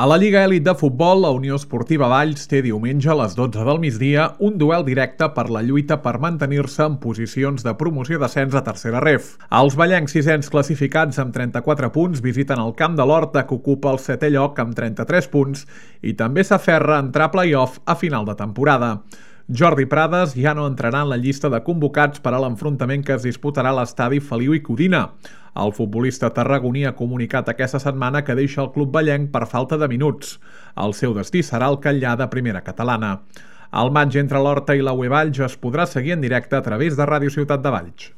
A la Lliga Elit de Futbol, la Unió Esportiva Valls té diumenge a les 12 del migdia un duel directe per la lluita per mantenir-se en posicions de promoció d'ascens a tercera ref. Els vallencs sisens classificats amb 34 punts visiten el Camp de l'Horta, que ocupa el 7è lloc amb 33 punts, i també s'aferra a entrar a play-off a final de temporada. Jordi Prades ja no entrarà en la llista de convocats per a l'enfrontament que es disputarà a l'estadi Feliu i Codina. El futbolista tarragoní ha comunicat aquesta setmana que deixa el club vallenc per falta de minuts. El seu destí serà el Catllà de primera catalana. El matx entre l'Horta i la UE Valls es podrà seguir en directe a través de Ràdio Ciutat de Valls.